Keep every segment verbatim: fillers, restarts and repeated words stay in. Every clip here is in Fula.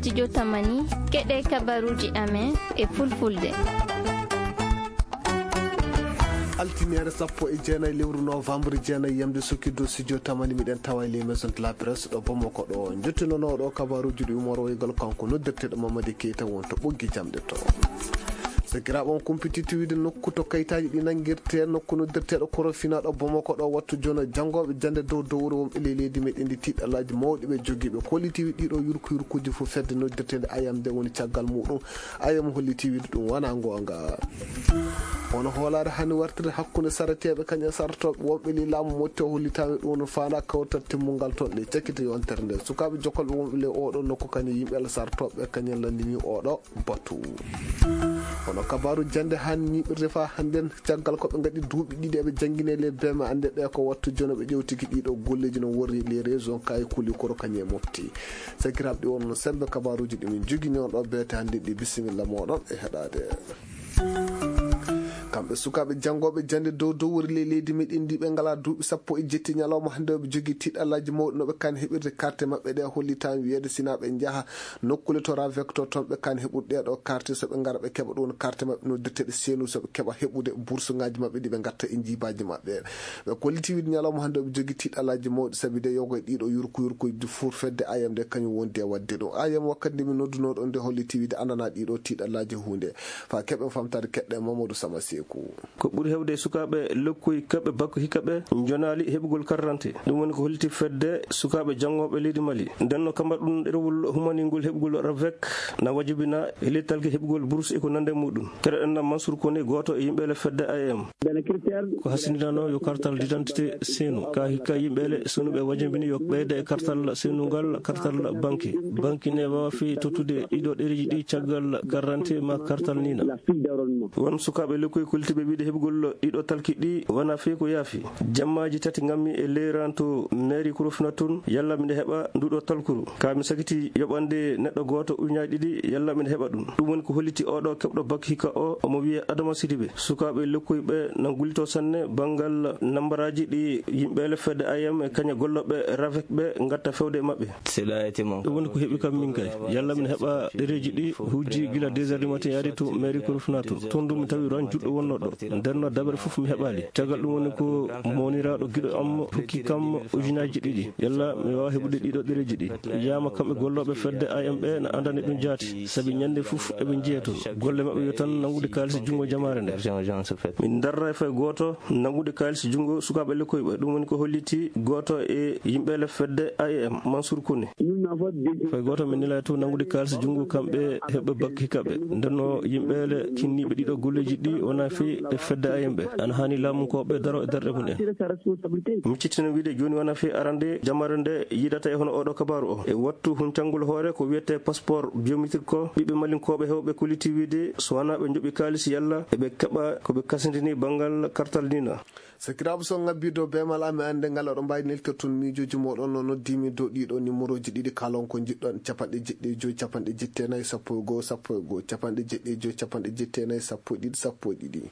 Studio Tamani, keɗe kabaruuji amen e fulfulde. Altiniere sappo e jeenayi lewru novembre jeenayi, yamde sukkido studio Tamani, miɗen tawa e les maisons de la presse ɗo Bamako ɗo. Jottinooɗo kabaruuji ɗi umoroygal kanko noddirteeɗo Mamadi Keita wonto ɓoggi jamɗe to. Sakiraaɓe, on kumpititto wiide nokku to kayitaaji ɗi nanngirte, nokku noddirteeɗo Korofina ɗo Bamako ɗo, wattu jono janngooɓe jannde dow dow wuro wonɓe ley leydi meɗen ndi tiiɗalaaji mawɗi ɓe jogiiɓe kollitiiwi ɗiɗo yurku yurkuuji fof fedde noddirteende ayam nde woni caggal muɗum. Ayam holliti wiide ɗum wonaa ngoonga. Hono hoolaare hani wartiri hakkunde sareteeɓe kañum e sartooɓe wonɓe ley laamu motti o hollitaami ɗum no faanaa kawtal timmungal toon ley cakkite yontere nde. Sukaaɓe jokolɓe wonɓe ley oɗo nokku kañum yimɓe Alla sartooɓe kañum lanndini oɗo batu. Hono kabaaru jannde han ñiiɓirde faa hannden, caggal ko ɓe ngaɗi duuɓi ɗiɗi eɓe janngine ley beema annde ɓe ko wattu jono ɓe ƴewtiki ɗiɗo golleeji no worri ley région kaye kuli koro kañum e mofti. Sakiraaɓe ɗi wonno sembe kabaaruuji ɗi min jogini on ɗo beete hannden ɗi. Bisimilla mooɗon e heɗaade. Kamɓe sukaaɓe janngooɓe jannde dow dow wori ley leydi meɗen ndi ɓe ngalaa duuɓi sappo e jetti ñalawma hannde ɓe jogii tiiɗalaaji mawɗi no ɓe kan heɓirde carte maɓɓe ɗe hollitaan wiyeede sinaa ɓe njaha nokkule to ravek to toon ɓe kan heɓude ɗeeɗo carte so ɓe ngara ɓe keɓa ɗum carte maɓɓe noddirteeɗe seenu so ɓe keɓa heɓude bourse ngaji maɓɓe ɗi ɓe ngatta e jiibaaji maɓɓe. Ɓe kolliti wiide ñalawma hannde ɓe jogii tiiɗalaaji mawɗi sabi de yogo e ɗiɗo yurku yurkuuji fof fedde ayam nde kañum wondi e waɗde ɗum. Ayam wakkati nde min noddunoo ɗon nde holliti wiide andanaa ɗiɗo tiiɗalaaji huunde. Faa keɓen famtaade keɗɗe Mamadou Sama Seeku. Ko ɓuri heewde e sukaaɓe lokkoy kaɓe bakko hikka ɓe njonaali heɓugol karrante. Ɗum woni ko holliti fedde sukaaɓe janngooɓe leydi Mali. Nden no kamba ɗum ɗerewol humaningol heɓugol ravek na wajibina e lettalki heɓugol bourse e ko nande muɗum. Keɗoɗen na Mansour Kone, gooto e yimɓe le fedde A M. Ko hasindinano yo kartal d'identité seenu. Ka hikka yimɓe le senuɓe wajibini yo ɓeyde e kartal seenungal, kartal banki. Banki ne waawa fii tottude ɗiɗo ɗereji ɗi caggal karrante ma kartal nina. Won sukaaɓe lekkoy koltiɓe wiide heɓugol ɗiɗo talki ɗi wona fii ko yaafi. Jammaaji tati ngammi e leeranto mairie Korofina tun, yalla miɗa heɓa nduɗo talkuru. Ka mi sakiti yoɓande neɗɗo gooto ujunnaaji ɗiɗi, yalla miɗa heɓa ɗum. Ɗum woni ko holliti oɗo keɓɗo bak hikka o, omo wiye Adama Sidibe. Sukaaɓe lekkoy ɓe na gullito sanne banngal nambaraaji ɗi yimɓe le fedde A M e kaña gollooɓe ravek ɓe ngatta fewde e maɓɓe. Ɗum woni ko heɓi kam min kay. Yalla miɗa heɓa ɗereji ɗi hujji gila deux heures du matin yaade to mairie Korofina to. Toon ɗum mi tawi ran juɗɗo wonno ɗo. Nden no dabere fof mi heɓaali. Caggal ɗum woni ko mawniraaɗo giɗo am hokki kam ujunnaaji ɗiɗi. Yalla mi waawa heɓude ɗiɗo ɗereji ɗi. Yiyama kamɓe gollooɓe fedde A M ɓe na andani ɗum jaati. Sabi ñande fof eɓe njiya toon. Golle maɓɓe yo tan nangude kaalisi junngo jamaare nde. Min darra e fay gooto nangude kaalisi junngo sukaaɓe lekkoy ɓe. Ɗum woni ko holliti gooto e yimɓe le fedde A M, Mansour Kone. Fay gooto min nela to nangude kaalisi junngo kamɓe heɓɓe bak hikka ɓe. Nden no yimɓe le kinniiɓe ɗiɗo golleeji ɗi wona fii e fedde A M ɓe. Ana haani laamu ko ɓe daro e darɗe mum en. Miccitino wiide jooni wona fii arande jamare nde yiidata e hono oɗo kabaaru o. E wattu huncangol hoore ko wiyete passeport biométrique ko ɓiɓɓe malinkooɓe hewɓe kolliti wiide so wona ɓe njoɓi kaalisi yalla eɓe keɓa ko ɓe kasindini banngal kartal nina. Sakiraaɓe, so ngabbii dow beemal am e annde ngal, oɗon mbaawi neltirde toon miijooji mooɗon no noddiimi dow ɗiɗo nimorooji ɗiɗi, kaalon ko njiɗɗon, capanɗe jeɗɗi e joy, capanɗe jeɗɗi e nayi, sappo e goo, sappo e goo, capanɗe jeɗɗi e joy, capanɗe jeɗɗi e nayi, sappo e ɗiɗi, sappo e ɗiɗi.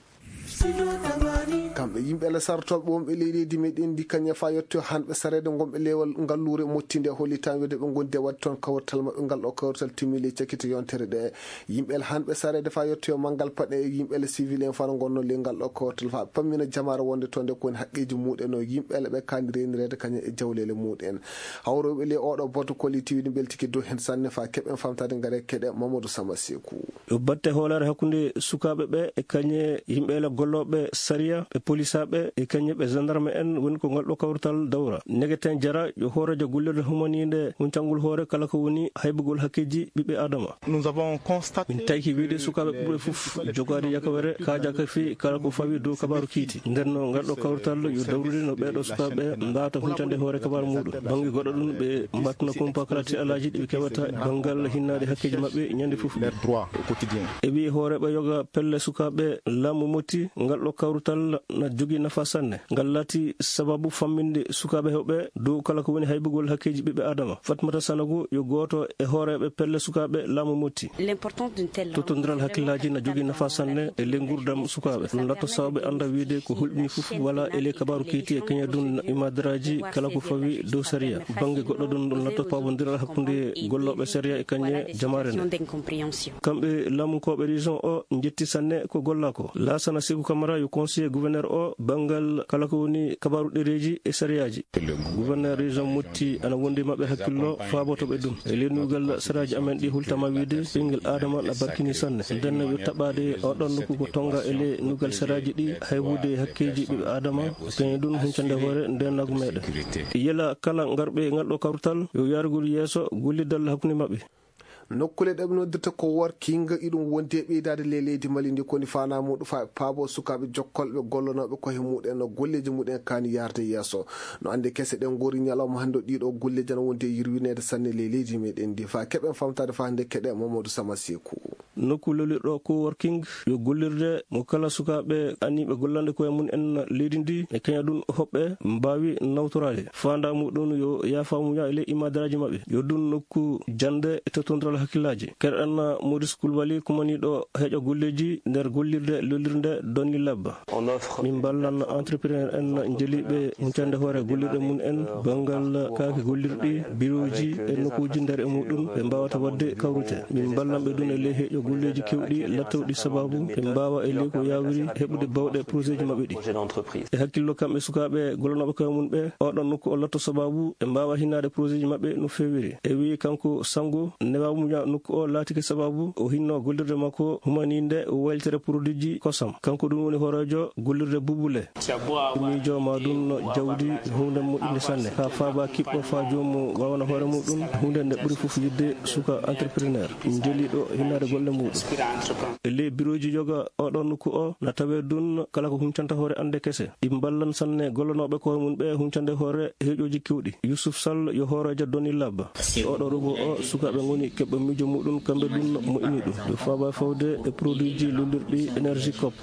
Kamɓe yimɓe le sartooɓe wonɓe ley leydi meɗen ndi kañe faa yettoyo hanɓe sareede ngonɓe lewal ngalluure mottinde hollitaani wede ɓe ngondi e waɗde toon kawrital maɓɓe ngal ɗo kawrital timmili e cakkite yontere ɗe. Yimɓe le hanɓe sareede faa yettoyo manngal paɗe e yimɓe le civil en faa no ngonno ley ngal ɗo kawrital faa ɓe pammina jamaare wonde toon nde ko woni haqqeeji muɗen o yimɓe le ɓe kaani reenireede kañe e jawleele muɗen. Hawroɓe ley oɗo boto kolliti wiɗi mbeltiki dow heen sanne faa keɓen famtaade ngare keɗe Mamadou Sama Seeku. Yo batte hoolaare hakkunde sukaaɓe ɓe e kañe yimɓe le gollooɓe sariya, ɓe polisaaɓe e kañe ɓe gendarme en woni ko ngal ɗo kawrital dawra. Negeten jara yo hooreejo gollirde humaniinde huncangol hoore kala ko woni haybugol hakkeeji ɓiɓɓe Adama. Min tayki wiide sukaaɓe ɓurɓe fof jogaade yakawere kaajaka fii kala ko fawi dow kabaaru kiiti. Nden no ngal ɗo kawrital yo dawrude no ɓeeɗo sukaaɓe mbaawata huncande hoore kabaaru muɗum. Bannge goɗɗo ɗum ɓe mbattuna kumpa kala tiɗalaaji ɗi ɓe keɓata banngal hinnaade hakkeeji maɓɓe ñande fof. E wii hooreeɓe yoga pelle sukaaɓe laamu motti Ngal ɗo kawrutal na jogii nafa sanne. Ngal laati sababu famminde sukaaɓe heewɓe dow kala ko woni haybugol hakkeeji ɓiɓɓe Aadama. Fatmata Sanogo yo gooto e hooreeɓe pelle sukaaɓe laamu Motti. L'importance d'une telle langue. Tottondiral hakkillaaji na jogii nafa sanne e ley nguurndam sukaaɓe. Ɗum laatto sababu ɓe annda wiyde ko hulɓini fof wala e ley kabaaru keyti e kañadun imadaraaji kala ko fawi dow sariya. Bannge goɗɗo ɗum, ɗum laatto pawondiral hakkunde gollooɓe sariya e kañe jamaare nde. Kamɓe laamunkooɓe région o njetti sanne ko gollaa ko. Laasana Seku Kamara yo conseiller gouverneur o banngal kala ko woni kabaaru ɗereeji e sariyaaji. Gouverneur région Motti ana wondi maɓɓe hakkillo faaboto ɓe ɗum. E ley nuugal sariyaaji amen ɗi hultama wiide ɓinngel Aadama na barkini sanne. Nden yo taɓaade o ɗon nokku ko tonga e ley nuugal sariyaaji ɗi haybude hakkeeji ɓiɓɓe Aadama. Kañum ɗum huncande hoore ndeenaagu meɗen. Yela kala ngarɓe ngal ɗo kawtal yo yarugol yeeso gollidal hakkunde maɓɓe. Nokkule ɗe ɓe noddirta ko working iɗum wondi e ɓeydaade ley leydi Mali ndi koni fana muɗum fa paabo sukaaɓe jokkolɓe gollonooɓe koye muɗen no golleeji muɗen kaani yaarde yeeso. No annde kese ɗen ngori ñalawma hannde o ɗiɗo golleeji ana wondi e yirwineede sanne ley leydi meɗen ndi fa keɓen famtaade fa hannde keɗe Mamadou Sama Seku. Nokku lolirɗo coworking yo gollirde mo kala sukaaɓe aniiɓe gollande koye mum en leydi ndi e kaña ɗum hoɓɓe mbaawi nawtoraade. Faandaa muɗum yo yaafa muña e ley imadaraaji maɓɓe. Yo ɗum nokku jannde e tottondiral hakkillaaji. Keɗoɗen Maurice Koulibaly kumaniiɗo heeƴo golleeji nder gollirde lollirde Donny Lab. Min mballan entrepreneur en jeliiɓe huncande hoore gollirɗe mum en banngal kaake gollirɗi, birooji e nokkuuji nder e muɗum ɓe mbaawata waɗde kawrite. Min mballan ɓe ɗum e ley heeƴo golleeji kewɗi lattowɗi sababu ɓe mbaawa e ley ko yaawiri heɓude bawɗe projet ji maɓɓe ɗi. E hakkillo kamɓe sukaaɓe gollanooɓe koye mum ɓe, oɗon nokku o latto sababu ɓe mbaawa hinnaade projet ji maɓɓe no feewiri. E wii kanko Sango, newa muña nokku o laatike sababu o hinno gollirde makko humaninde waylitere produit ji kosam. Kanko ɗum woni hooreejo gollirde bubule. Miijo ma ɗum no jawdi huunde moƴƴunde sanne. Haa faaba kiɓɓo faa joomum waawana hoore muɗum, huunde nde ɓuri fof yiɗde suka entrepreneur, jeliiɗo hinnaade golle muɗum. E ley birooji yoga oɗo nokku o, na tawee ɗum kala ko huncanta hoore annde kese. Ɗi mballan sanne gollanooɓe koye mum ɓe huncande hoore heeƴooji kewɗi. Youssouf Sall yo hooreejo Donny Lab. Oɗo rogo o, sukaaɓe ngoni keɓɓe miijo muɗum, kamɓe ɗum moƴƴini ɗum. Yo faaba fawde e produit ji lollirɗi énergie cop.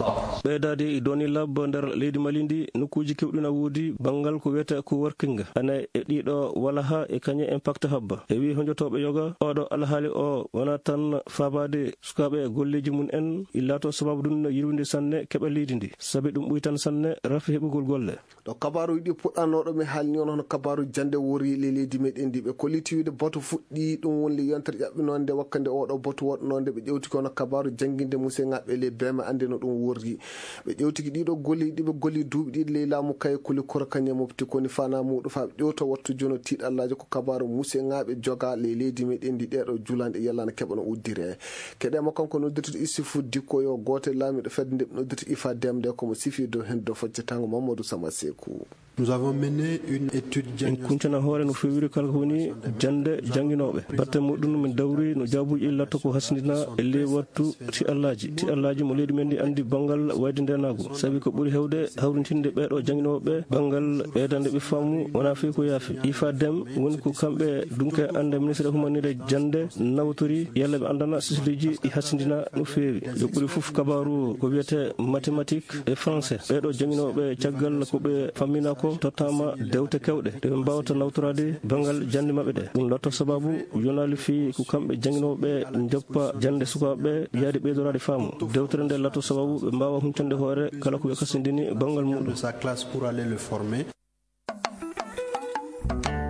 Ɓeydaade e Donny Lab nder leydi Mali ndi, nokkuuji kewɗi na woodi banngal ko wiyetee coworking. Ana e ɗiɗo walaha e kañe Impact Hub. E wii honjotooɓe yoga, oɗo alhaali o wona tan faabaade sukaaɓe e golleeji mum en, illaato sababu ɗum no yirwinde sanne keɓe leydi ndi. Sabi ɗum ɓuytan sanne rafi heɓugol golle. Ɗo kabaaruuji ɗi puɗɗanooɗo mi haalni on hono kabaaru jannde worri le leydi meɗen ndi ɓe kolliti wiide batu fuɗɗi ɗum woni le yontere ƴaɓɓinoonde wakkande oɗo batu woɗnoonde ɓe ƴewti kono kabaaru jannginde museŋaaɓe le beme annde no ɗum worri. Ɓe ƴewtiki ɗiɗo golli ɗi ɓe golli duuɓi ɗiɗi ley laamu kaye kuli koro kañe mofti koni fana muɗum fa ɓe ƴewto wattu jono tiiɗallaaji ko kabaaru museŋaaɓe joga le leydi meɗen ndi ɗeɗo julanɗe yallana keɓano uddire. Keɗe mo kanko noddirtude Issifou Dicko yo gooto e laamiiɗo fedde nde ɓe noddirta ifa demde komo sifi dow heen dow foccatango Mamadou Sama Seku. Nous avons mené une étude. En kuncana hoore no feewiri kala ko woni jannde jannginooɓe. Batte muɗum min dawri no jaabuuji latto ko hasindina e ley wattu tiɗallaaji. Tiɗallaaji mo leydi men ndi anndi banngal wayde ndeenaagu. Sabi ko ɓuri heewde hawrintinde ɓeeɗo jannginooɓe banngal ɓeydande ɓe faamu wonaa fii ko yaafi. Ifa dem woni ko kamɓe dunke annde ministre humanire jannde nawtori yalla ɓe anndana sisleeji ɗi hasindina no feewi. Yo ɓuri fof kabaaru ko wiyetee mathématique e français. Ɓeeɗo jannginooɓe caggal ko ɓe fammina ko tottaama dewte kewɗe ɗe ɓe mbaawata nawtoraade banngal jannde maɓɓe ɗe. Ɗum latto sababu yonaali fii ko kamɓe jannginooɓe njoppa jannde sukaaɓe yaade ɓeydoraade faamu. Dewtere nde latto sababu ɓe mbaawa huncande hoore kala ko ɓe kasindini banngal muɗum. De sa classe pour aller le former.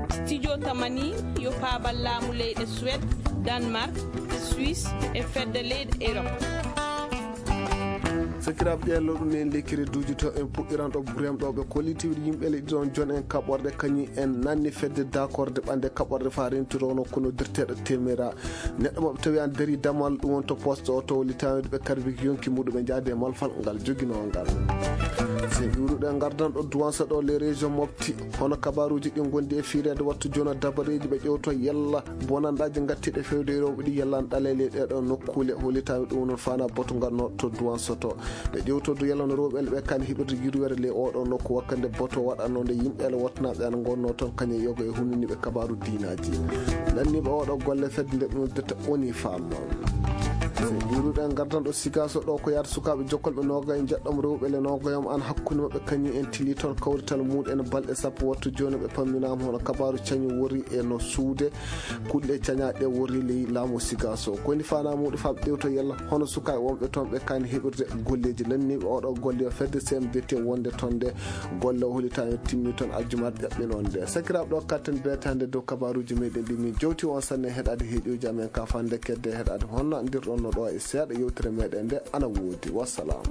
Studio Tamani yo paabal laamu leyɗe Suède, Danemark, Suisse e fedde leyɗe Europe. Sakiraaɓe ƴeello ɗum en lekkere duuji to en puɗɗiran ɗo buriyam ɗo ɓe kollitiwde yimɓe leydi ɗon jon en kaɓorɗe kañum en nanni fedde dakorde ɓande kaɓorɗe fa rentiro no kono dirteɗo temera. Neɗɗo maɓɓe tawi an dari damal ɗum won to poste o to litawiɗo ɓe karbiki yonki muɗum ɓe jaade e malfal ngal joginoo ngal. Se ɗuuruɗe ngardan ɗo duwansa ɗo les régions mofti hono kabaruuji ɗi ngondi e fiireede wattu jono dabareeji ɓe ƴewto yalla bonanɗaaji ngattiiɗe fewde e rewɓe ɗi yalla an ɗaleele ɗeɗo nokkule holitaami ɗum non fana boto ngarno to duwansa to. Ɓe ƴewtodu yalla no rewɓe ɓe kan hiɓirde yurwere le oɗo nokku wakkande boto waɗanno nde yimɓe ele wottanaaɓe an ngonno toon kañe yogo e hununiiɓe kabaru diinaaji. Lanniiɓe oɗo golle fedde nde ɓe noddata oni fam. Yiruɗen gardan ɗo sigaso ɗo ko yaata sukaaɓe jokkolɓe noogay njeɗɗom rewɓe le noogayom an hakkunde maɓɓe kañum en tili toon kawrital muɗen balɗe sappo wattu jooni ɓe pamminaama hono kabaaru cañu wori e no suude kulle cañaaɗe wori ley laamu sigaso. Ko woni faanaa muɗum faaɓe ɗewto yalla hono sukaaɓe wonɓe toon ɓe kaani heɓirde golleeji lanniiɓe oɗo golle o fedde C M D T wonde toon nde golle o holitaani timmi toon aljumaat ƴaɓɓinoon nde. Sakiraaɓe ɗo katten beetaande dow kabaaruuji meɗen ɗi min jowti on sanne heɗaade heeɗiuji amen ka fande kedde heɗaade honno andirɗon no ɗo e seeɗa yewtere meɗen nde ana woodi. Wassalam.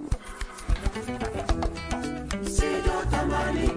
Sido Tamani